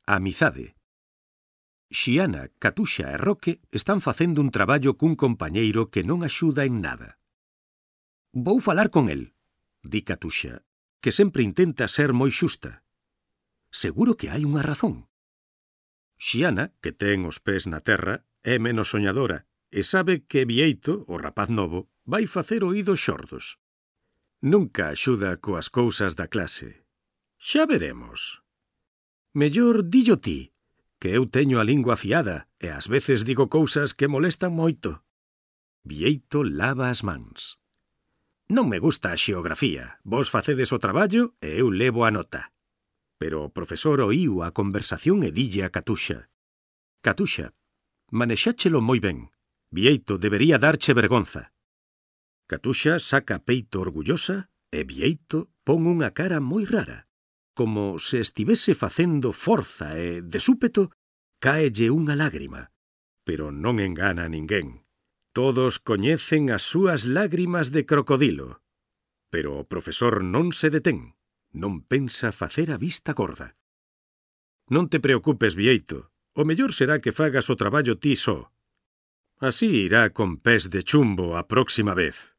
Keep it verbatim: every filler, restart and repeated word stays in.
Amizade. Xiana, Catuxa e Roque están facendo un traballo cun compañeiro que non axuda en nada. Vou falar con el, di Catuxa, que sempre intenta ser moi xusta. Seguro que hai unha razón. Xiana, que ten os pés na terra, é menos soñadora e sabe que Bieito, o rapaz novo, vai facer oídos xordos. Nunca axuda coas cousas da clase. Xa veremos. Mellor dillo ti, que eu teño a lingua afiada e ás veces digo cousas que molestan moito. Bieito lava as mans. Non me gusta a xeografía. Vos facedes o traballo e eu levo a nota. Pero o profesor oíu a conversación e dille a Catuxa. Catuxa, manexáchelo moi ben. Bieito debería darche vergonza. Catuxa saca peito orgullosa e Bieito pon unha cara moi rara, como se estivese facendo forza e, de súpeto, cáelle unha lágrima. Pero non engana a ninguén. Todos coñecen as súas lágrimas de crocodilo. Pero o profesor non se detén. Non pensa facer a vista gorda. Non te preocupes, Bieito. O mellor será que fagas o traballo ti só. Así irá con pés de chumbo a próxima vez.